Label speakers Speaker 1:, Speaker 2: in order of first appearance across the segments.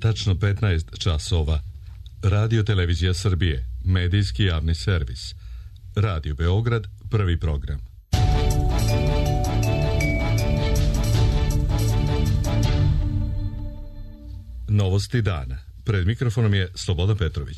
Speaker 1: tačno 15 časova. Radio Televizija Srbije, medijski javni servis. Radio Beograd, prvi program. Novosti dana. Pred mikrofonom je Slobodan Petrović.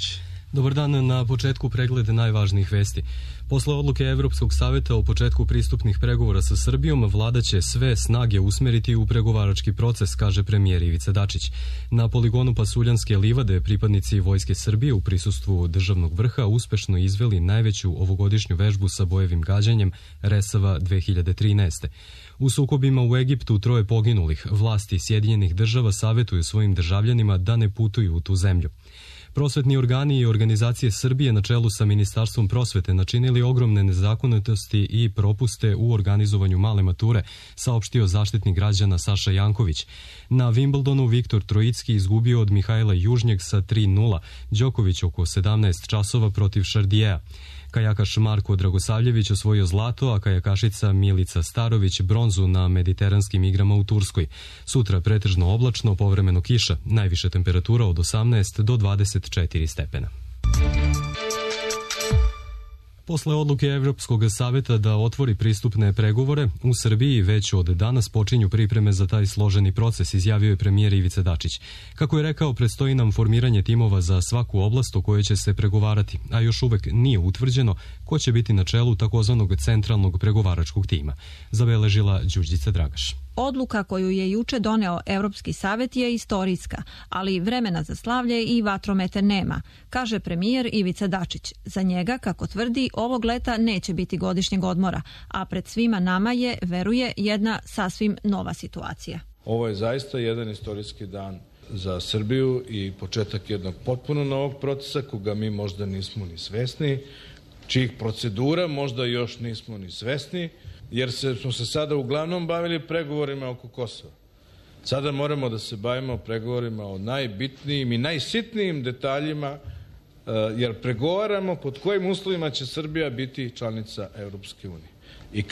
Speaker 2: Dobar dan, na početku pregled najvažnijih vesti. Posle odluke Evropskog saveta o početku pristupnih pregovora sa Srbijom, vlada će sve snage usmeriti u pregovarački proces, kaže premijer Ivica Dačić. Na poligonu Pasuljanske livade pripadnici Vojske Srbije u prisustvu državnog vrha uspešno izveli najveću ovogodišnju vežbu sa bojevim gađanjem Resava 2013. U sukobima u Egiptu 3 poginulih. Vlasti Sjedinjenih država savetuju svojim državljanima da ne putuju u tu zemlju. Prosvetni organi i organizacije Srbije na čelu sa Ministarstvom prosvete načinili ogromne nezakonitosti i propuste u organizovanju male mature, saopštio Zaštitnik građana Saša Janković. Na Wimbledonu Viktor Trojicki izgubio od Mihajla Južnjeg sa 3:0, Đoković oko 17 časova protiv Šardijeja. Kajakaš Marko Dragosavljević osvojio zlato, a kajakašica Milica Starović bronzu na mediteranskim igrama u Turskoj. Sutra pretežno oblačno, povremeno kiša, najviša temperatura od 18 do 24 stepena. Posle odluke Evropskog saveta da otvori pristupne pregovore, u Srbiji već od danas počinju pripreme za taj složeni proces, izjavio je premijer Ivica Dačić. Kako je rekao, predstoji nam formiranje timova za svaku oblast o kojoj će se pregovarati, a još uvek nije utvrđeno ko će biti na čelu takozvanog centralnog pregovaračkog tima, zabeležila Đurđica Dragaš.
Speaker 3: Odluka koju je juče doneo Evropski savet je istorijska, ali vremena za slavlje i vatromete nema, kaže premijer Ivica Dačić. Za njega, kako tvrdi, ovog leta neće biti godišnjeg odmora, a pred svima nama je, veruje, jedna sasvim nova situacija.
Speaker 4: Ovo je zaista jedan istorijski dan za Srbiju i početak jednog potpuno novog procesa koga mi možda nismo ni svesni, čijih procedura možda još nismo ni svesni, jer smo se sada uglavnom bavili pregovorima oko Kosova. Sada moramo da se bavimo pregovorima o najbitnijim i najsitnijim detaljima, jer pregovaramo pod kojim uslovima će Srbija biti članica Evropske unije. I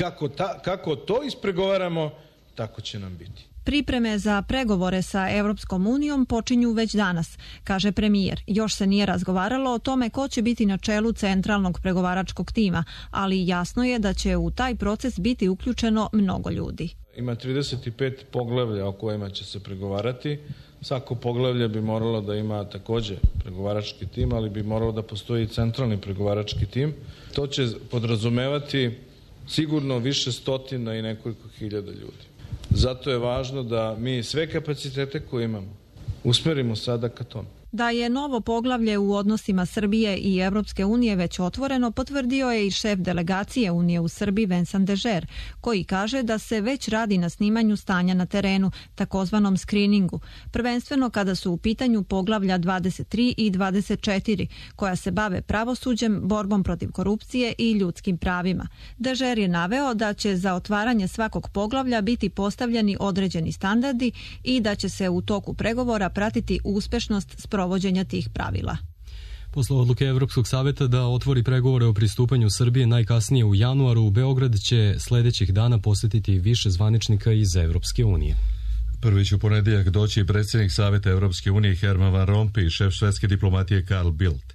Speaker 4: kako to ispregovaramo, tako će nam biti.
Speaker 3: Pripreme za pregovore sa Evropskom unijom počinju već danas, kaže premijer. Još se nije razgovaralo o tome ko će biti na čelu centralnog pregovaračkog tima, ali jasno je da će u taj proces biti uključeno mnogo ljudi.
Speaker 4: Ima 35 poglavlja o kojima će se pregovarati. Svako poglavlje bi moralo da ima takođe pregovarački tim, ali bi moralo da postoji i centralni pregovarački tim. To će podrazumevati sigurno više stotina i nekoliko hiljada ljudi. Zato je važno da mi sve kapacitete koje imamo usmerimo sada ka tome.
Speaker 3: Da je novo poglavlje u odnosima Srbije i Evropske unije već otvoreno, potvrdio je i šef delegacije Unije u Srbiji Vincent Dežer, koji kaže da se već radi na snimanju stanja na terenu, takozvanom skriningu, prvenstveno kada su u pitanju poglavlja 23 i 24, koja se bave pravosuđem, borbom protiv korupcije i ljudskim pravima. Dežer je naveo da će za otvaranje svakog poglavlja biti postavljeni određeni standardi i da će se u toku pregovora pratiti uspešnost sprovođenja tih pravila.
Speaker 2: Posle odluke Evropskog saveta da otvori pregovore o pristupanju Srbije najkasnije u januaru, u Beograd će sledećih dana posetiti više zvaničnika iz Evropske unije.
Speaker 1: Prvi će u ponedjeljak doći i predsjednik Saveta Evropske unije Herman Van Rompuy i šef švedske diplomatije Carl Bildt.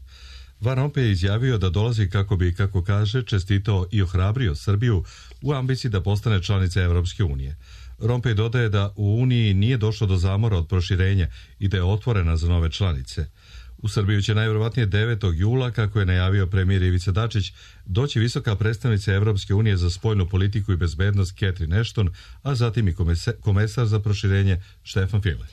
Speaker 1: Van Rompuy je izjavio da dolazi kako bi, kako kaže, čestitao i ohrabrio Srbiju u ambiciji da postane članica Evropske unije. Rompuy dodaje da u Uniji nije došlo do zamora od proširenja i da je otvorena za nove članice. U Srbiju će najvjerovatnije 9. jula, kako je najavio premijer Ivica Dačić, doći visoka predstavnica Evropske unije za spoljnu politiku i bezbednost Catherine Ashton, a zatim i komesar za proširenje Štefan File.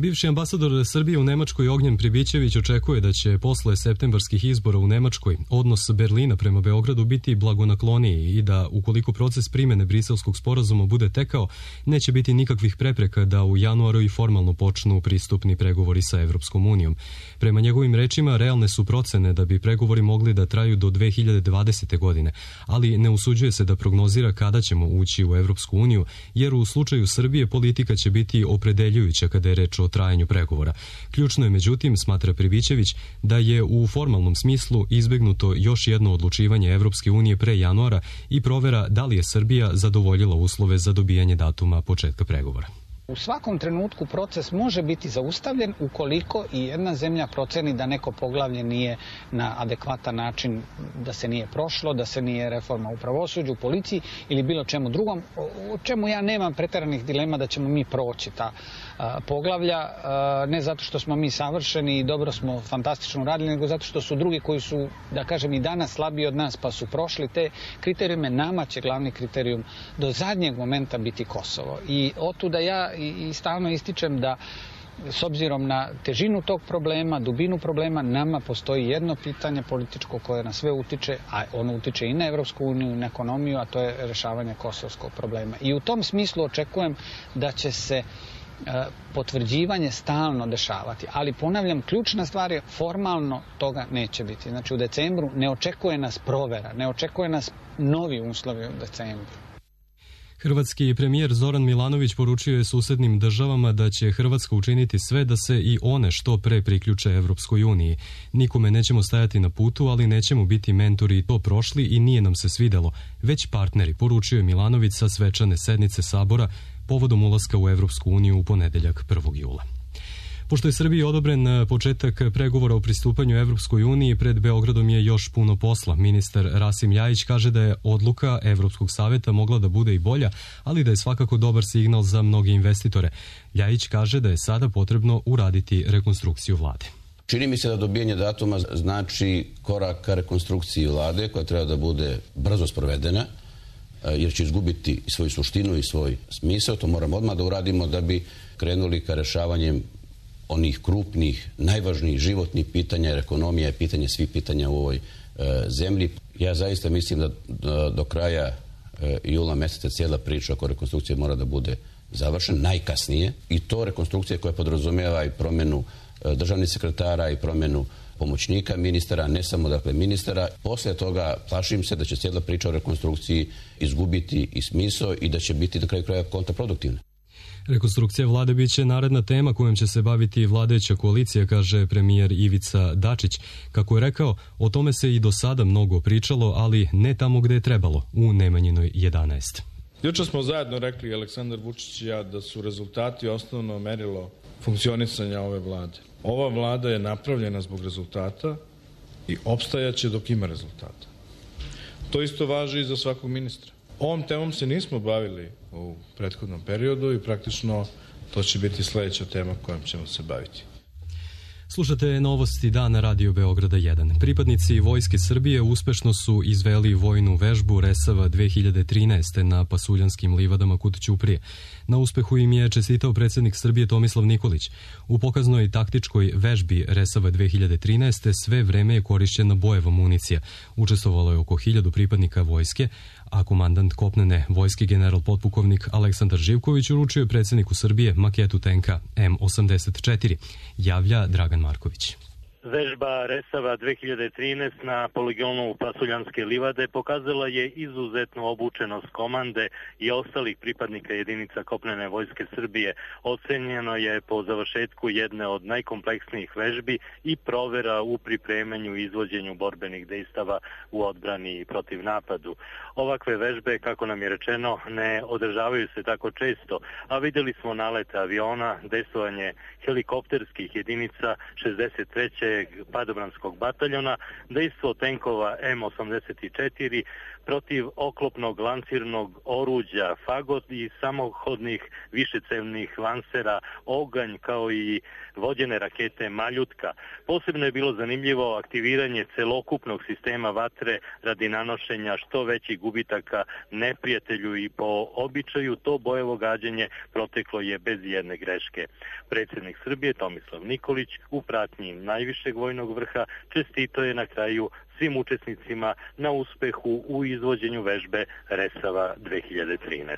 Speaker 2: Bivši ambasador Srbije u Nemačkoj Ognjen Pribićević očekuje da će posle septembarskih izbora u Nemačkoj odnos Berlina prema Beogradu biti blagonakloniji i da ukoliko proces primene Briselskog sporazuma bude tekao, neće biti nikakvih prepreka da u januaru i formalno počnu pristupni pregovori sa Evropskom unijom. Prema njegovim rečima, realne su procene da bi pregovori mogli da traju do 2020. godine, ali ne usuđuje se da prognozira kada ćemo ući u Evropsku uniju, jer u slučaju Srbije politika će biti opredeljujuća kada je reč o trajanju pregovora. Ključno je, međutim, smatra Pribićević, da je u formalnom smislu izbegnuto još jedno odlučivanje Evropske unije pre januara i provera da li je Srbija zadovoljila uslove za dobijanje datuma početka pregovora.
Speaker 5: U svakom trenutku proces može biti zaustavljen ukoliko i jedna zemlja proceni da neko poglavlje nije na adekvatan način, da se nije prošlo, da se nije reforma u pravosuđu, u policiji ili bilo čemu drugom, o čemu ja nemam preteranih dilema da ćemo mi proći ta poglavlja, ne zato što smo mi savršeni i dobro smo fantastično radili, nego zato što su drugi koji su, da kažem, i danas slabiji od nas pa su prošli te kriterijume. Nama će glavni kriterijum do zadnjeg momenta biti Kosovo. I otuda ja i stalno ističem da s obzirom na težinu tog problema, dubinu problema, nama postoji jedno pitanje političko koje na sve utiče, a ono utiče i na Evropsku uniju i na ekonomiju, a to je rešavanje kosovskog problema. I u tom smislu očekujem da će se potvrđivanje stalno dešavati. Ali ponavljam, ključna stvar je formalno toga neće biti. Znači u decembru ne očekuje nas provera, ne očekuje nas novi uslovi u decembru.
Speaker 2: Hrvatski premijer Zoran Milanović poručio je susednim državama da će Hrvatska učiniti sve da se i one što pre priključe Evropskoj uniji. Nikome nećemo stajati na putu, ali nećemo biti mentori i to prošli i nije nam se svidelo, već partneri, poručio je Milanović sa svečane sednice Sabora povodom ulaska u Evropsku uniju u ponedeljak 1. jula. Pošto je Srbiji odobren početak pregovora o pristupanju Evropskoj uniji, pred Beogradom je još puno posla. Ministar Rasim Ljajić kaže da je odluka Evropskog saveta mogla da bude i bolja, ali da je svakako dobar signal za mnoge investitore. Ljajić kaže da je sada potrebno uraditi rekonstrukciju vlade.
Speaker 6: Čini mi se da dobijanje datuma znači korak ka rekonstrukciji vlade koja treba da bude brzo sprovedena, jer će izgubiti svoju suštinu i svoj smisao. To moramo odmah da uradimo da bi krenuli ka rešavanjem onih krupnih, najvažnijih životnih pitanja, jer ekonomija je pitanje svih pitanja u ovoj zemlji. Ja zaista mislim da do kraja jula meseca cijela priča oko rekonstrukcije mora da bude završena, najkasnije. I to rekonstrukcija koja podrazumijeva i promjenu državnih sekretara i promjenu pomoćnika ministara, ne samo dakle ministara. Poslije toga plašim se da će cijela priča o rekonstrukciji izgubiti i smisao i da će biti na kraju kraja kontraproduktivna.
Speaker 2: Rekonstrukcija vlade biće naredna tema kojom će se baviti vladajuća koalicija, kaže premijer Ivica Dačić. Kako je rekao, o tome se i do sada mnogo pričalo, ali ne tamo gde je trebalo, u Nemanjinoj 11.
Speaker 4: Juče smo zajedno rekli, Aleksandar Vučić i ja, da su rezultati osnovno merilo funkcionisanja ove vlade. Ova vlada je napravljena zbog rezultata i opstajaće dok ima rezultata. To isto važi i za svakog ministra. Ovom temom se nismo bavili u prethodnom periodu i praktično to će biti sljedeća tema kojom ćemo se baviti.
Speaker 2: Slušate novosti dana Radio Beograda 1. Pripadnici Vojske Srbije uspešno su izveli vojnu vežbu Resava 2013. na Pasuljanskim livadama kod Ćuprije. Na uspehu im je čestitao predsjednik Srbije Tomislav Nikolić. U pokaznoj taktičkoj vežbi Resava 2013. sve vreme je korišćena bojeva municija. Učestvovalo je oko 1000 pripadnika vojske, a komandant kopnene vojske general potpukovnik Aleksandar Živković uručio je predsjedniku Srbije maketu tenka M84, javlja Dragan Marković.
Speaker 7: Vežba Resava 2013 na poligonu Pasuljanske livade pokazala je izuzetnu obučenost komande i ostalih pripadnika jedinica kopnene vojske Srbije. Ocenjeno je po završetku jedne od najkompleksnijih vežbi i provera u pripremanju i izvođenju borbenih dejstava u odbrani i protiv napadu. Ovakve vežbe, kako nam je rečeno, ne održavaju se tako često, a vidjeli smo nalete aviona, dejstvovanje helikopterskih jedinica 63. padobranskog bataljona, dejstvo tenkova M84 protiv oklopnog lancirnog oruđa Fagot i samohodnih višecevnih lansera Oganj, kao i vođene rakete Maljutka. Posebno je bilo zanimljivo aktiviranje celokupnog sistema vatre radi nanošenja što većih gubitaka neprijatelju i po običaju to bojevo gađanje proteklo je bez jedne greške. Predsjednik Srbije Tomislav Nikolić u pratnji najvišeg vojnog vrha čestito je na kraju svim učesnicima na uspehu u izvođenju vežbe Resava 2013.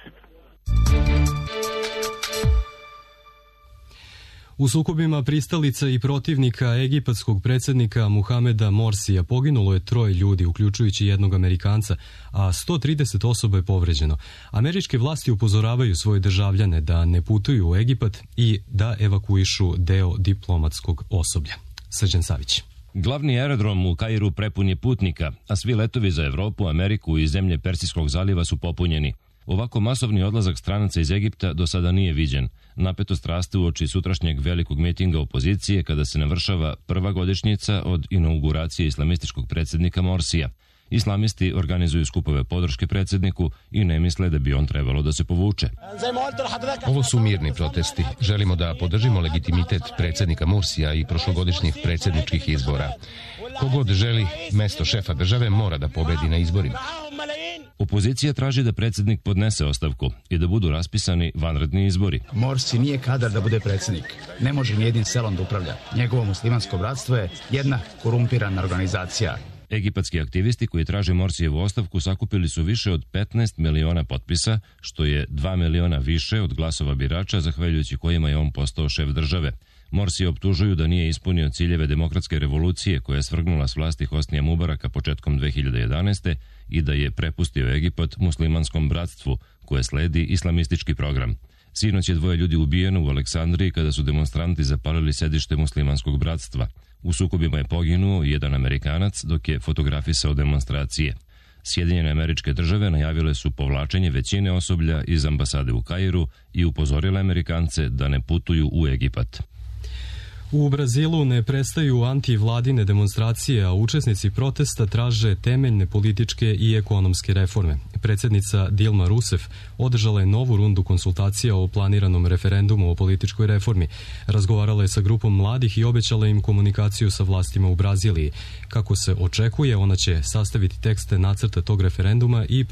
Speaker 2: U sukobima pristalica i protivnika egipatskog predsjednika Muhameda Morsija poginulo je 3 ljudi, uključujući jednog Amerikanca, a 130 osoba je povređeno. Američke vlasti upozoravaju svoje državljane da ne putuju u Egipat i da evakuišu deo diplomatskog osoblja. Srđan Savić.
Speaker 8: Glavni aerodrom u Kairu prepun je putnika, a svi letovi za Evropu, Ameriku i zemlje Persijskog zaliva su popunjeni. Ovako masovni odlazak stranaca iz Egipta do sada nije viđen. Napetost raste uoči sutrašnjeg velikog mitinga opozicije kada se navršava prva godišnjica od inauguracije islamističkog predsjednika Morsija. Islamisti organizuju skupove podrške predsjedniku i ne misle da bi on trebalo da se povuče.
Speaker 9: Ovo su mirni protesti. Želimo da podržimo legitimitet predsjednika Mursija i prošlogodišnjih predsjedničkih izbora. Kogod želi mesto šefa države mora da pobedi na izborima.
Speaker 8: Opozicija traži da predsjednik podnese ostavku i da budu raspisani vanredni izbori.
Speaker 10: Morsi nije kadar da bude predsjednik. Ne može ni jednim selom da upravlja. Njegovo muslimansko bratstvo je jedna korumpirana organizacija.
Speaker 8: Egipatski aktivisti koji traže Morsijevu ostavku sakupili su više od 15 miliona potpisa, što je 2 miliona više od glasova birača, zahvaljujući kojima je on postao šef države. Morsije optužuju da nije ispunio ciljeve demokratske revolucije koja je svrgnula s vlasti Hosnija Mubaraka početkom 2011. i da je prepustio Egipat muslimanskom bratstvu koje sledi islamistički program. Sinoć je 2 ljudi ubijeno u Aleksandriji kada su demonstranti zapalili sedište muslimanskog bratstva. U sukobima je poginuo jedan Amerikanac dok je fotografisao demonstracije. Sjedinjene Američke Države najavile su povlačenje većine osoblja iz ambasade u Kairu i upozorile Amerikance da ne putuju u Egipat.
Speaker 2: U Brazilu ne prestaju antivladine demonstracije, a učesnici protesta traže temeljne političke i ekonomske reforme. Predsjednica Dilma Rousseff održala je novu rundu konsultacija o planiranom referendumu o političkoj reformi. Razgovarala je sa grupom mladih i obećala im komunikaciju sa vlastima u Braziliji. Kako se očekuje, ona će sastaviti tekste nacrta tog referenduma i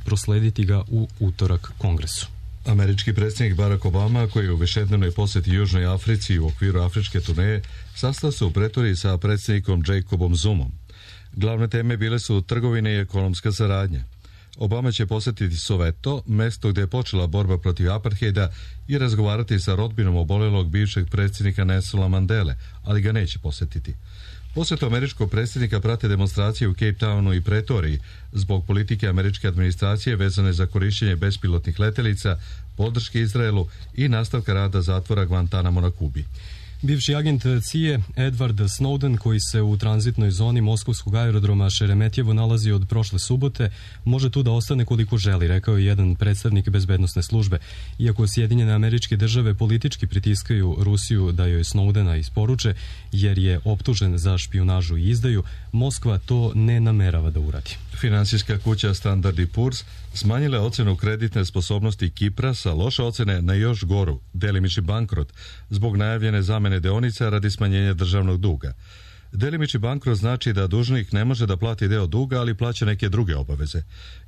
Speaker 2: proslediti ga u utorak Kongresu.
Speaker 1: Američki predsjednik Barack Obama, koji je u višednevnoj posjeti Južnoj Africi u okviru afričke turneje, sastao se u Pretoriji sa predsjednikom Jacobom Zumom. Glavne teme bile su trgovine i ekonomska saradnja. Obama će posjetiti Soweto, mesto gdje je počela borba protiv apartheida, i razgovarati sa rodbinom obolelog bivšeg predsjednika Nelsona Mandele, ali ga neće posjetiti. Posjetu američkog predsjednika prate demonstracije u Cape Townu i Pretoriji zbog politike američke administracije vezane za korištenje bespilotnih letelica, podrške Izraelu i nastavka rada zatvora Guantanamo na Kubi.
Speaker 2: Bivši agent CIA Edward Snowden, koji se u tranzitnoj zoni moskovskog aerodroma Šeremetjevo nalazi od prošle subote, može tu da ostane koliko želi, rekao je jedan predstavnik bezbednosne službe. Iako Sjedinjene Američke Države politički pritiskaju Rusiju da joj Snowdena isporuče, jer je optužen za špijunažu i izdaju, Moskva to ne namerava da uradi.
Speaker 1: Finansijska kuća Standard & Poor's smanjila je ocenu kreditne sposobnosti Kipra sa loše ocene na još goru, delimični bankrot, zbog najavljene zamene deonica radi smanjenja državnog duga. Delimični bankrot znači da dužnik ne može da plati deo duga, ali plaća neke druge obaveze.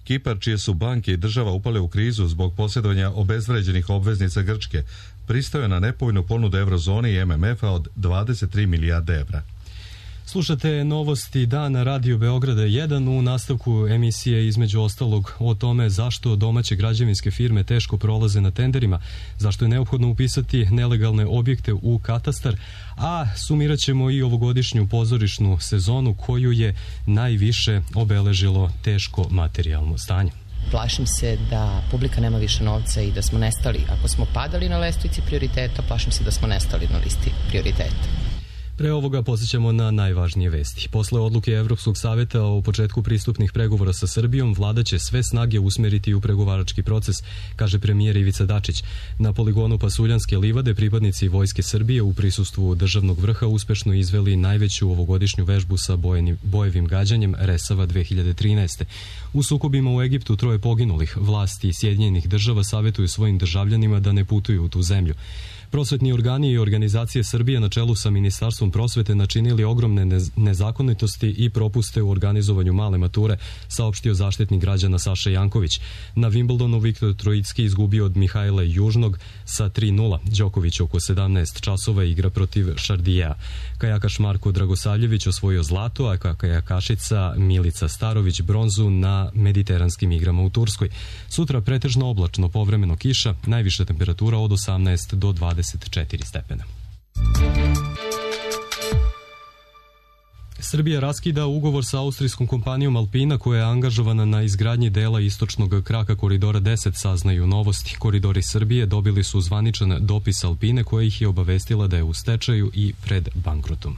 Speaker 1: Kipar, čije su banke i država upale u krizu zbog posjedovanja obezvređenih obveznica Grčke, pristao je na nepovoljnu ponudu Eurozoni i MMF-a od 23 milijarde evra.
Speaker 2: Slušate novosti dana Radio Beograda 1 u nastavku emisije između ostalog o tome zašto domaće građevinske firme teško prolaze na tenderima, zašto je neophodno upisati nelegalne objekte u katastar, a sumirat ćemo i ovogodišnju pozorišnu sezonu koju je najviše obeležilo teško materijalno stanje.
Speaker 11: Plašim se da publika nema više novca i da smo nestali. Ako smo padali na lestvici prioriteta, plašim se da smo nestali na listi prioriteta.
Speaker 2: Pre ovoga posjećamo na najvažnije vesti. Posle odluke Evropskog saveta o početku pristupnih pregovora sa Srbijom, vlada će sve snage usmeriti u pregovarački proces, kaže premijer Ivica Dačić. Na poligonu Pasuljanske livade pripadnici Vojske Srbije u prisustvu državnog vrha uspešno izveli najveću ovogodišnju vežbu sa bojevim gađanjem Resava 2013. U sukobima u Egiptu 3 poginulih. Vlasti Sjedinjenih Država savetuju svojim državljanima da ne putuju u tu zemlju. Prosvetni organi i organizacije Srbije na čelu sa Ministarstvom prosvete načinili ogromne nezakonitosti i propuste u organizovanju male mature, saopštio zaštitnik građana Saša Janković. Na Wimbledonu Viktor Trojicki izgubio od Mihajla Južnog sa 3:0. Đoković oko 17 časova igra protiv Šardija. Kajakaš Marko Dragosavljević osvojio zlato, a kajakašica Milica Starović bronzu na mediteranskim igrama u Turskoj. Sutra pretežno oblačno, povremeno kiša, najviša temperatura od 18 do 24 stepena. Srbija raskida ugovor sa austrijskom kompanijom Alpina koja je angažovana na izgradnji dela istočnog kraka Koridora 10, saznaju Novosti. Koridori Srbije dobili su zvaničan dopis Alpine koja ih je obavestila da je u stečaju i pred bankrotom.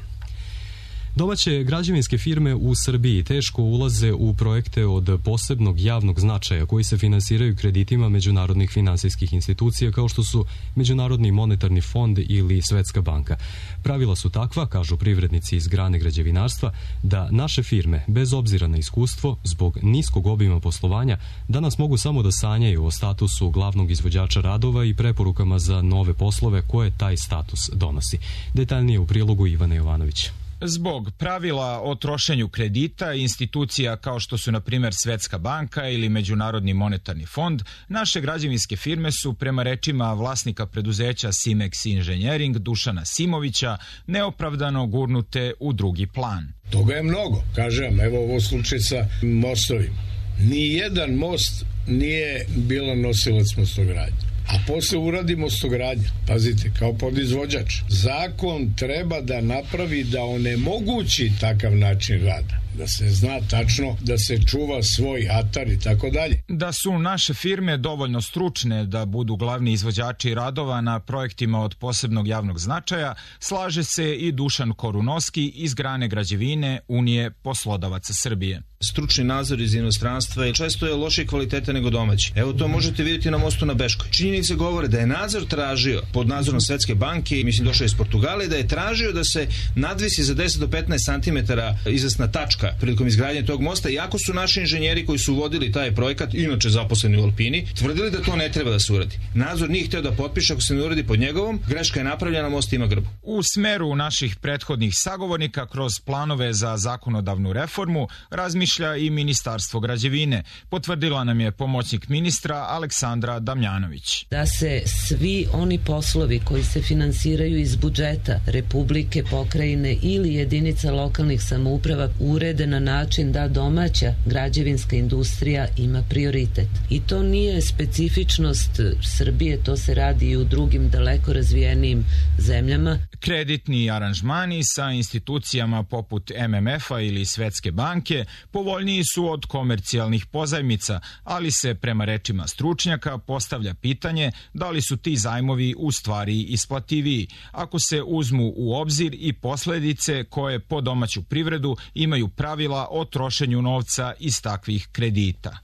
Speaker 2: Domaće građevinske firme u Srbiji teško ulaze u projekte od posebnog javnog značaja koji se finansiraju kreditima međunarodnih finansijskih institucija kao što su Međunarodni monetarni fond ili Svetska banka. Pravila su takva, kažu privrednici iz grane građevinarstva, da naše firme, bez obzira na iskustvo, zbog niskog obima poslovanja, danas mogu samo da sanjaju o statusu glavnog izvođača radova i preporukama za nove poslove koje taj status donosi. Detaljnije u prilogu Ivana Jovanović.
Speaker 12: Zbog pravila o trošenju kredita institucija kao što su na primjer Svetska banka ili Međunarodni monetarni fond, naše građevinske firme su prema rečima vlasnika preduzeća Simex Engineering Dušana Simovića neopravdano gurnute u drugi plan.
Speaker 13: Toga je mnogo. Kažem, evo ovo slučaj sa mostovima. Nijedan most nije bilo nosilac mostogradnje. A posle uradi mostogradnja. Pazite, kao podizvođač. Zakon treba da napravi da onemogući takav način rada. Da se zna tačno da se čuva svoj atar i tako dalje.
Speaker 12: Da su naše firme dovoljno stručne da budu glavni izvođači radova na projektima od posebnog javnog značaja, slaže se i Dušan Korunovski iz grane građevine Unije poslodavaca Srbije.
Speaker 14: Stručni nadzor iz inostranstva često je lošije kvalitete nego domaći. Evo to možete vidjeti na mostu na Beškoj. Činjenice govore da je nadzor tražio pod nadzorom Svetske banke, mislim došao iz Portugala, da je tražio da se nadvisi za 10 do 15 cm izvesna tačka prilikom izgradnje tog mosta, iako su naši inženjeri koji su vodili taj projekat, inače zaposleni u Alpini, tvrdili da to ne treba da se uradi. Nadzor nije hteo da potpiše ako se ne uradi pod njegovom, greška je napravljena, most ima grbu.
Speaker 12: U smeru naših prethodnih sagovornika kroz planove za zakonodavnu reformu razmišlja i Ministarstvo građevine, potvrdila nam je pomoćnik ministra Aleksandra Damjanović.
Speaker 15: Da se svi oni poslovi koji se finansiraju iz budžeta Republike, pokrajine ili jedinica lokalnih samouprava urede na način da domaća građevinska industrija ima prioritet. I to nije specifičnost Srbije, to se radi i u drugim daleko razvijenijim zemljama.
Speaker 12: Kreditni aranžmani sa institucijama poput MMF-a ili Svetske banke povoljniji su od komercijalnih pozajmica, ali se prema rečima stručnjaka postavlja pitanje da li su ti zajmovi u stvari isplativiji, ako se uzmu u obzir i posledice koje po domaću privredu imaju pravila o trošenju novca iz takvih kredita.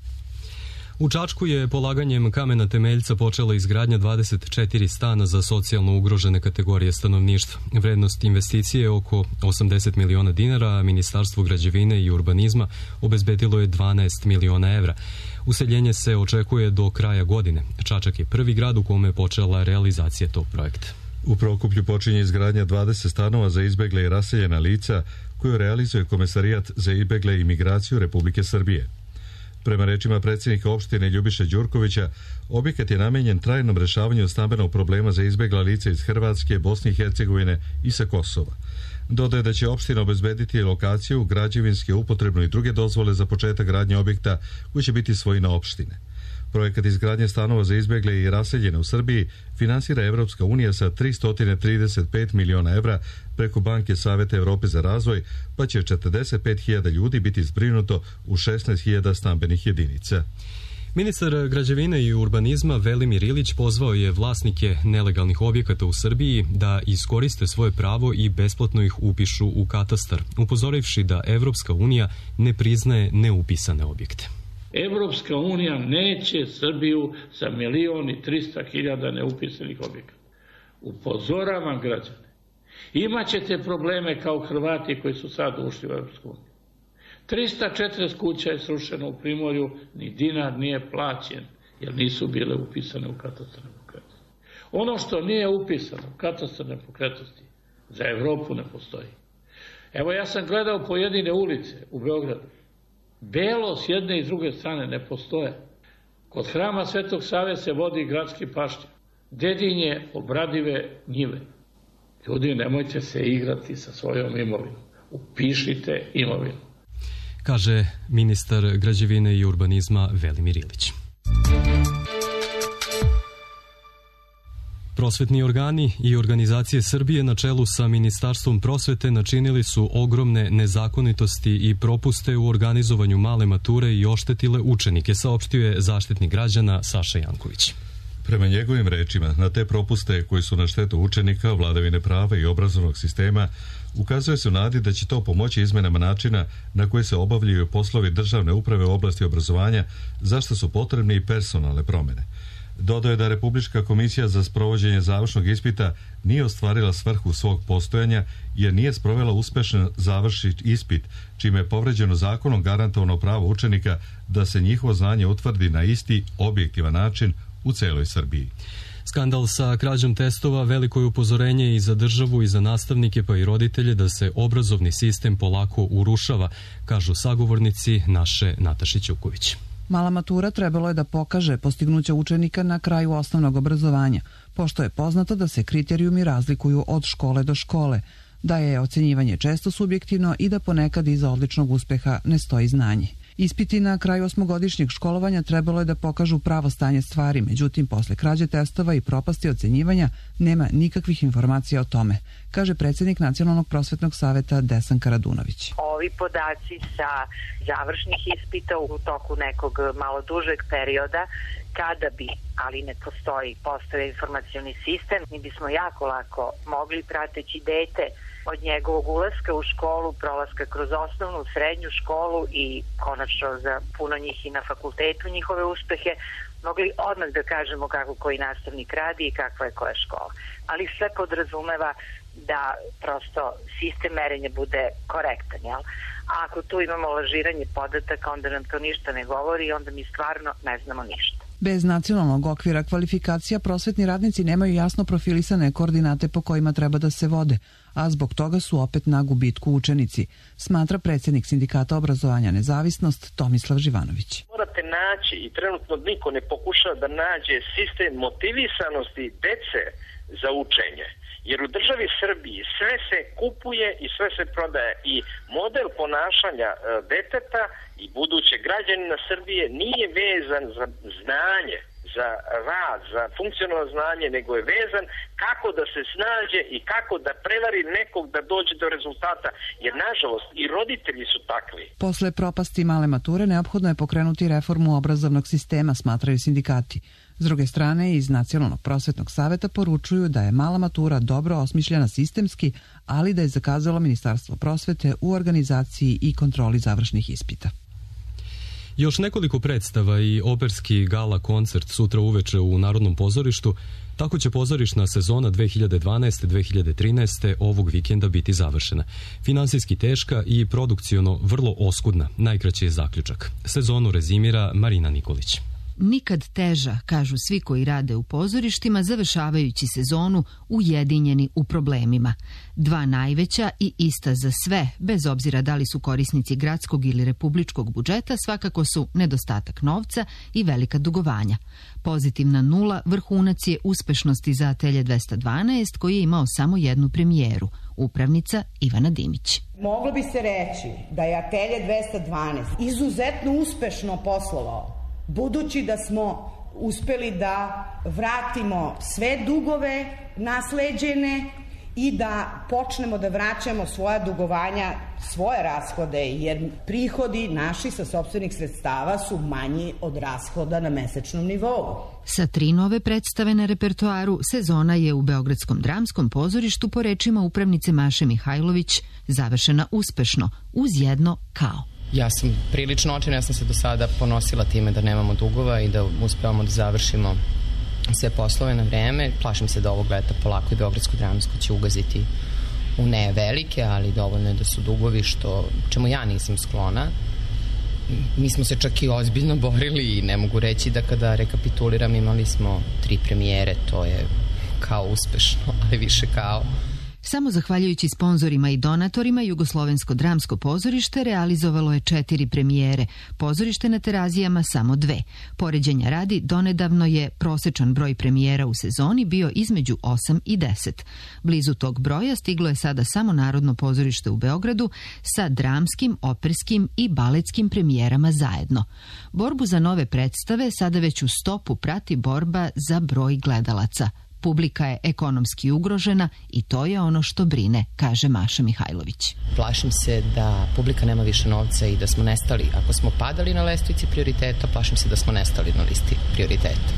Speaker 2: U Čačku je polaganjem kamena temeljca počela izgradnja 24 stana za socijalno ugrožene kategorije stanovništva. Vrednost investicije je oko 80 miliona dinara, a Ministarstvo građevine i urbanizma obezbedilo je 12 miliona evra. Useljenje se očekuje do kraja godine. Čačak je prvi grad u kome je počela realizacija tog projekta.
Speaker 1: U Prokuplju počinje izgradnja 20 stanova za izbegle i raseljena lica koju realizuje Komesarijat za izbegle i migraciju Republike Srbije. Prema rečima predsjednika opštine Ljubiše Đurkovića, objekat je namenjen trajnom rešavanju stambenog problema za izbegla lica iz Hrvatske, Bosne i Hercegovine i sa Kosova. Dodaje da će opština obezbediti lokaciju, građevinske, upotrebne i druge dozvole za početak gradnje objekta koji će biti svojina opštine. Projekat izgradnje stanova za izbegle i raseljene u Srbiji finansira Evropska unija sa 335 miliona evra preko Banke Saveta Evrope za razvoj, pa će 45.000 ljudi biti zbrinuto u 16.000 stambenih jedinica.
Speaker 2: Ministar građevine i urbanizma Velimir Ilić pozvao je vlasnike nelegalnih objekata u Srbiji da iskoriste svoje pravo i besplatno ih upišu u katastar, upozorivši da Evropska unija ne priznaje neupisane objekte.
Speaker 16: Evropska unija neće Srbiju sa 1.300.000 neupisanih objekata. Upozoravam građane. Imaćete probleme kao Hrvati koji su sad ušli u Evropsku uniju. 340 kuća je srušeno u Primorju, ni dinar nije plaćen, jer nisu bile upisane u katastar nepokretnosti. Ono što nije upisano u katastar nepokretnosti za Evropu ne postoji. Evo ja sam gledao pojedine ulice u Beogradu. Belo s jedne i s druge strane ne postoje. Kod hrama Svetog Save se vodi gradski pašnjak. Dedinje obradive njive. Ljudi, nemojte se igrati sa svojom imovinom. Upišite imovinu.
Speaker 2: Kaže ministar građevine i urbanizma Velimir Ilić. Prosvetni organi i organizacije Srbije na čelu sa Ministarstvom prosvete načinili su ogromne nezakonitosti i propuste u organizovanju male mature i oštetile učenike, saopštio je Zaštitnik građana Saša Janković.
Speaker 1: Prema njegovim rečima, na te propuste koji su na štetu učenika, vladavine prava i obrazovnog sistema, ukazuje se u nadi da će to pomoći izmenama načina na koji se obavljaju poslovi državne uprave u oblasti obrazovanja, za što su potrebne i personalne promjene. Dodao je da Republička komisija za sprovođenje završnog ispita nije ostvarila svrhu svog postojanja jer nije sprovela uspešan završni ispit, čime je povređeno zakonom garantovano pravo učenika da se njihovo znanje utvrdi na isti objektivan način u celoj Srbiji.
Speaker 2: Skandal sa krađom testova veliko je upozorenje i za državu i za nastavnike pa i roditelje da se obrazovni sistem polako urušava, kažu sagovornici naše Nataše Ćuković.
Speaker 17: Mala matura trebalo je da pokaže postignuća učenika na kraju osnovnog obrazovanja, pošto je poznato da se kriterijumi razlikuju od škole do škole, da je ocenjivanje često subjektivno i da ponekad iza odličnog uspeha ne stoji znanje. Ispiti na kraju osmogodišnjeg školovanja trebalo je da pokažu pravo stanje stvari, međutim, posle krađe testova i propasti ocenjivanja nema nikakvih informacija o tome, kaže predsjednik Nacionalnog prosvetnog saveta Desanka Radunović.
Speaker 18: Ovi podaci sa završnih ispita u toku nekog malo dužeg perioda, kada bi, ali ne postoji informacioni sistem, mi bismo jako lako mogli prateći dete od njegovog ulaska u školu, prolaska kroz osnovnu, srednju školu i konačno za puno njih i na fakultetu njihove uspehe, mogli odmah da kažemo kako koji nastavnik radi i kakva je koja škola. Ali sve podrazumeva da prosto sistem merenja bude korektan, jel? A ako tu imamo lažiranje podataka, onda nam to ništa ne govori i onda mi stvarno ne znamo ništa.
Speaker 17: Bez nacionalnog okvira kvalifikacija prosvetni radnici nemaju jasno profilisane koordinate po kojima treba da se vode, a zbog toga su opet na gubitku učenici, smatra predsjednik Sindikata obrazovanja Nezavisnost Tomislav Živanović.
Speaker 19: Morate naći i trenutno niko ne pokušava da nađe sistem motivisanosti dece za učenje. Jer u državi Srbiji sve se kupuje i sve se prodaje i model ponašanja deteta i budućeg građanina Srbije nije vezan za znanje, za rad, za funkcionalno znanje, nego je vezan kako da se snađe i kako da prevari nekog da dođe do rezultata, jer nažalost i roditelji su takvi.
Speaker 17: Posle propasti male mature neophodno je pokrenuti reformu obrazovnog sistema, smatraju sindikati. S druge strane, iz Nacionalnog prosvetnog saveta poručuju da je mala matura dobro osmišljena sistemski, ali da je zakazalo Ministarstvo prosvete u organizaciji i kontroli završnih ispita.
Speaker 2: Još nekoliko predstava i operski gala koncert sutra uveče u Narodnom pozorištu, tako će pozorišna sezona 2012-2013 ovog vikenda biti završena. Finansijski teška i produkciono vrlo oskudna, najkraći je zaključak. Sezonu rezimira Marina Nikolić.
Speaker 20: Nikad teža, kažu svi koji rade u pozorištima, završavajući sezonu ujedinjeni u problemima. Dva najveća i ista za sve, bez obzira da li su korisnici gradskog ili republičkog budžeta, svakako su nedostatak novca i velika dugovanja. Pozitivna nula vrhunac je uspešnosti za Atelje 212, koji je imao samo jednu premijeru, upravnica Ivana Dimić.
Speaker 21: Moglo bi se reći da je Atelje 212 izuzetno uspešno poslovao, budući da smo uspeli da vratimo sve dugove nasleđene i da počnemo da vraćamo svoja dugovanja, svoje rashode, jer prihodi naši sa sopstvenih sredstava su manji od rashoda na mesečnom nivou.
Speaker 20: Sa 3 nove predstave na repertoaru, sezona je u Beogradskom dramskom pozorištu po rečima upravnice Maše Mihajlović završena uspešno, uz jedno kao.
Speaker 11: Ja sam prilično očajna, ja sam se do sada ponosila time da nemamo dugova i da uspevamo da završimo sve poslove na vreme. Plašim se da ovog leta polako i Beogradsko dramsko će ugaziti u ne velike, ali dovoljno je da su dugovi, čemu ja nisam sklona. Mi smo se čak i ozbiljno borili i ne mogu reći da kada rekapituliram imali smo 3 premijere, to je kao uspešno, ali više kao.
Speaker 20: Samo zahvaljujući sponzorima i donatorima, Jugoslovensko dramsko pozorište realizovalo je 4 premijere, pozorište na Terazijama samo 2. Poređenja radi, donedavno je prosečan broj premijera u sezoni bio između 8 i 10. Blizu tog broja stiglo je sada samo Narodno pozorište u Beogradu sa dramskim, operskim i baletskim premijerama zajedno. Borbu za nove predstave sada već u stopu prati borba za broj gledalaca. Publika je ekonomski ugrožena i to je ono što brine, kaže Maša Mihajlović.
Speaker 11: Plašim se da publika nema više novca i da smo nestali. Ako smo padali na lestvici prioriteta, plašim se da smo nestali na listi prioriteta.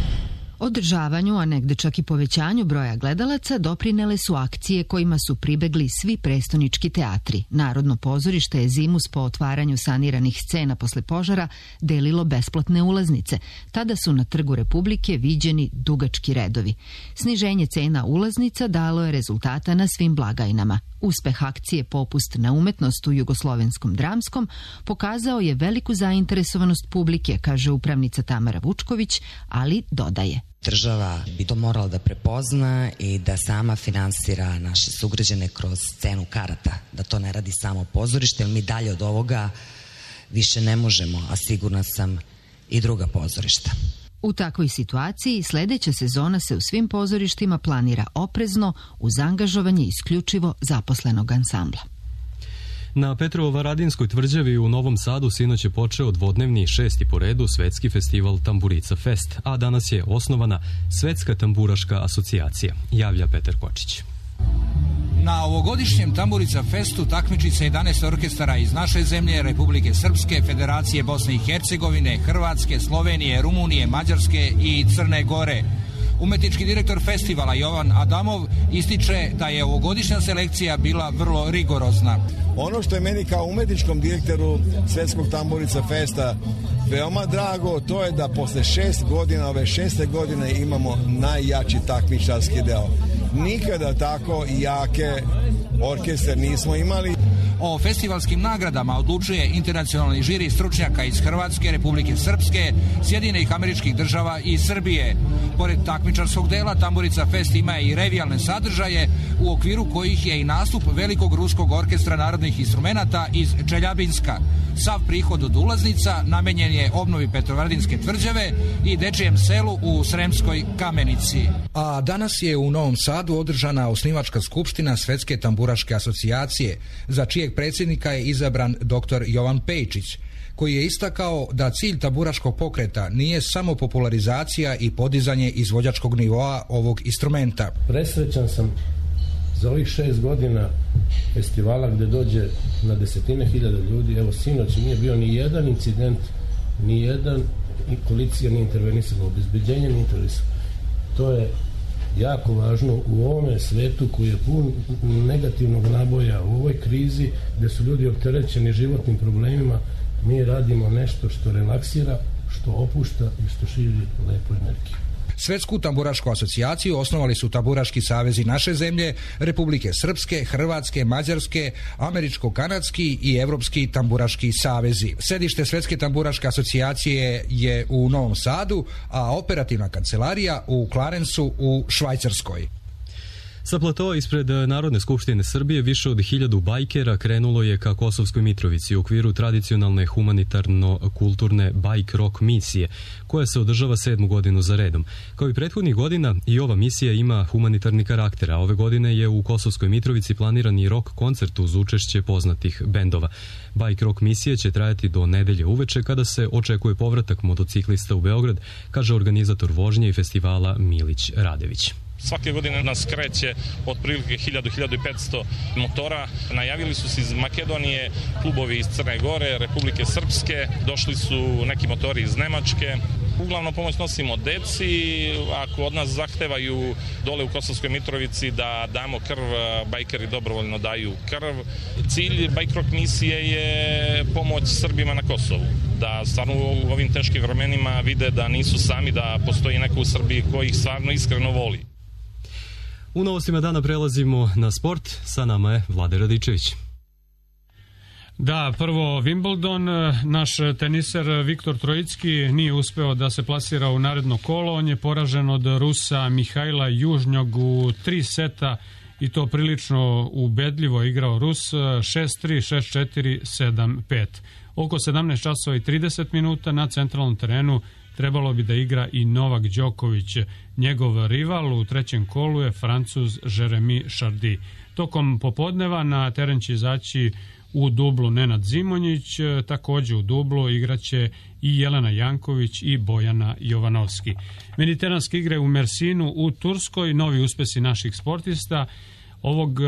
Speaker 20: Održavanju, a negde čak i povećanju broja gledalaca doprinele su akcije kojima su pribegli svi prestonički teatri. Narodno pozorište je zimus po otvaranju saniranih scena posle požara delilo besplatne ulaznice. Tada su na Trgu Republike viđeni dugački redovi. Sniženje cena ulaznica dalo je rezultata na svim blagajnama. Uspeh akcije Popust na umetnost u Jugoslovenskom dramskom pokazao je veliku zainteresovanost publike, kaže upravnica Tamara Vučković, ali dodaje.
Speaker 3: Država bi to morala da prepozna i da sama finansira naše sugrađane kroz cenu karata, da to ne radi samo pozorište, jer mi dalje od ovoga više ne možemo, a sigurna sam i druga pozorišta.
Speaker 20: U takvoj situaciji sledeća sezona se u svim pozorištima planira oprezno uz angažovanje isključivo zaposlenog ansambla.
Speaker 2: Na Petrovo-Varadinskoj tvrđavi u Novom Sadu sinoć je počeo dvodnevni 6. po redu svetski festival Tamburica Fest, a danas je osnovana Svetska tamburaška asocijacija, javlja Petar Kočić.
Speaker 22: Na ovogodišnjem Tamburica Festu takmiči se 11 orkestara iz naše zemlje, Republike Srpske, Federacije Bosne i Hercegovine, Hrvatske, Slovenije, Rumunije, Mađarske i Crne Gore. Umetnički direktor festivala Jovan Adamov ističe da je ovogodišnja selekcija bila vrlo rigorozna.
Speaker 23: Ono što je meni kao umetničkom direktoru Svetskog Tamburica Festa veoma drago, to je da posle 6 godina, ove 6. godine imamo najjači takmičarski deo. Nikada tako jake orkestar nismo imali.
Speaker 22: O festivalskim nagradama odlučuje internacionalni žiri stručnjaka iz Hrvatske, Republike Srpske, Sjedinjenih Američkih Država i Srbije. Pored takmičarskog dela, Tamburica Fest ima i revijalne sadržaje u okviru kojih je i nastup velikog ruskog orkestra narodnih instrumenata iz Čeljabinska. Sav prihod od ulaznica namenjen je obnovi Petrovaradinske tvrđave i dečijem selu u Sremskoj Kamenici. A danas je u Novom Sadu održana osnivačka skupština Svetske tamburaške asocijacije, za čijeg predsjednika je izabran dr. Jovan Pejčić, koji je istakao da cilj tamburaškog pokreta nije samo popularizacija i podizanje izvođačkog nivoa ovog instrumenta.
Speaker 24: Presrećan sam za ovih 6 godina festivala gde dođe na desetine hiljada ljudi. Evo, sinoć nije bio ni jedan incident, ni jedan policija nije intervenisala, obezbeđenje nije intervenisala. To je jako važno u ovome svetu koji je pun negativnog naboja, u ovoj krizi gde su ljudi opterećeni životnim problemima. Mi radimo nešto što relaksira, što opušta i što širi lepu energiju.
Speaker 22: Svetsku tamburašku asocijaciju osnovali su tamburaški savezi naše zemlje, Republike Srpske, Hrvatske, Mađarske, Američko-kanadski i Evropski tamburaški savezi. Sedište Svetske tamburaške asocijacije je u Novom Sadu, a operativna kancelarija u Clarensu u Švajcarskoj.
Speaker 2: Sa platoa ispred Narodne skupštine Srbije više od 1000 bajkera krenulo je ka Kosovskoj Mitrovici u okviru tradicionalne humanitarno-kulturne bajk rock misije, koja se održava 7. godinu za redom. Kao i prethodnih godina, i ova misija ima humanitarni karakter, a ove godine je u Kosovskoj Mitrovici planiran i rock koncert uz učešće poznatih bendova. Bajk rock misija će trajati do nedelje uveče, kada se očekuje povratak motociklista u Beograd, kaže organizator vožnje i festivala Milić Radević.
Speaker 25: Svake godine nas kreće otprilike 1000-1500 motora. Najavili su se iz Makedonije, klubovi iz Crne Gore, Republike Srpske, došli su neki motori iz Nemačke. Uglavnom pomoć nosimo deci, ako od nas zahtevaju dole u Kosovskoj Mitrovici da damo krv, bajkeri dobrovoljno daju krv. Cilj bajk rock misije je pomoć Srbima na Kosovu, da stvarno u ovim teškim vremenima vide da nisu sami, da postoji neko u Srbiji koji ih stvarno iskreno voli.
Speaker 2: U novostima dana prelazimo na sport, sa nama je Vlade Radičević.
Speaker 26: Da, prvo Wimbledon, naš teniser Viktor Trojicki nije uspeo da se plasira u naredno kolo, on je poražen od Rusa Mihajla Južnjog u 3 seta i to prilično ubedljivo igrao Rus, 6-3, 6-4, 7-5. Oko 17 časova i 30 minuta na centralnom terenu trebalo bi da igra i Novak Đoković. Njegov rival u trećem kolu je Francuz Jeremy Chardy. Tokom popodneva na teren će izaći u dublu Nenad Zimonjić, takođe u dublu igraće i Jelena Janković i Bojana Jovanovski. Mediteranske igre u Mersinu u Turskoj, novi uspesi naših sportista. Ovog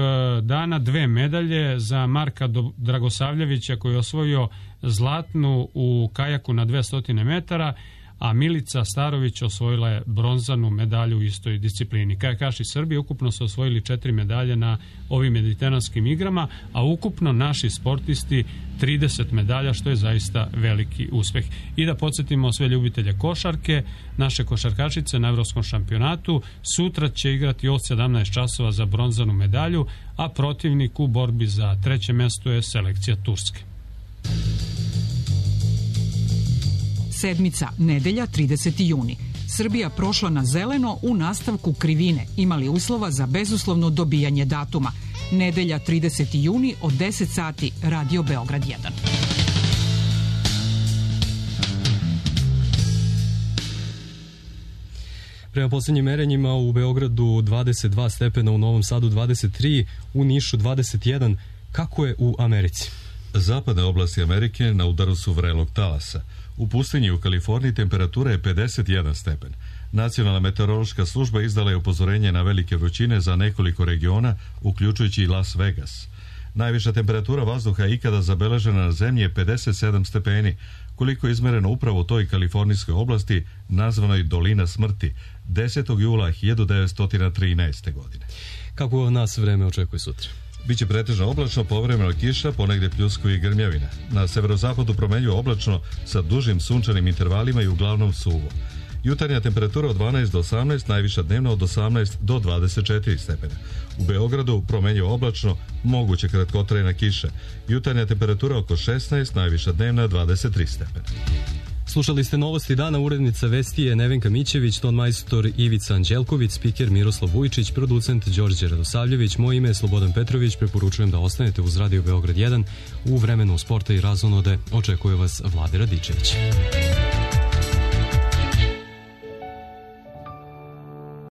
Speaker 26: dana 2 medalje za Marka Dragosavljevića koji je osvojio zlatnu u kajaku na 200 metara, a Milica Starović osvojila je bronzanu medalju u istoj disciplini. Kajakaši Srbije ukupno su osvojili 4 medalje na ovim mediteranskim igrama, a ukupno naši sportisti 30 medalja, što je zaista veliki uspeh. I da podsjetimo sve ljubitelje košarke, naše košarkašice na Evropskom šampionatu sutra će igrati od 17 časova za bronzanu medalju, a protivnik u borbi za treće mesto je selekcija Turske.
Speaker 4: Sedmica, nedelja, 30. juni. Srbija prošla na zeleno u nastavku krivine, imali uslova za bezuslovno dobijanje datuma. Nedelja, 30. juni od 10 sati, Radio Beograd 1.
Speaker 2: Prema posljednjim merenjima u Beogradu 22 stepena, u Novom Sadu 23, u Nišu 21. Kako je u Americi?
Speaker 1: Zapadne oblasti Amerike na udaru su vrelog talasa. U pustinji u Kaliforniji temperatura je 51 stepen. Nacionalna meteorološka služba izdala je upozorenje na velike vrućine za nekoliko regiona, uključujući i Las Vegas. Najviša temperatura vazduha ikada zabeležena na zemlji je 57 stepeni, koliko je izmereno upravo u toj kalifornijskoj oblasti nazvanoj Dolina smrti 10. jula 1913. godine.
Speaker 2: Kako nas vreme očekuje sutra?
Speaker 1: Biće pretežno oblačno, povremeno kiša, ponegde pljuskovi i grmljavina. Na severozapadu promenljivo oblačno sa dužim sunčanim intervalima i uglavnom suvo. Jutarnja temperatura od 12 do 18, najviša dnevna od 18 do 24 stepena. U Beogradu promenljivo oblačno, moguće kratkotrajna kiša. Jutarnja temperatura oko 16, najviša dnevna 23 stepena.
Speaker 2: Slušali ste novosti dana, urednica vesti je Nevenka Mićević, tonmajstor Ivica Anđelković, spiker Miroslav Vujčić, producent Đorđe Radosavljević, moje ime je Slobodan Petrović, preporučujem da ostanete uz Radio Beograd 1, u vremenu sporta i razonode očekuje vas Vlade Radičević.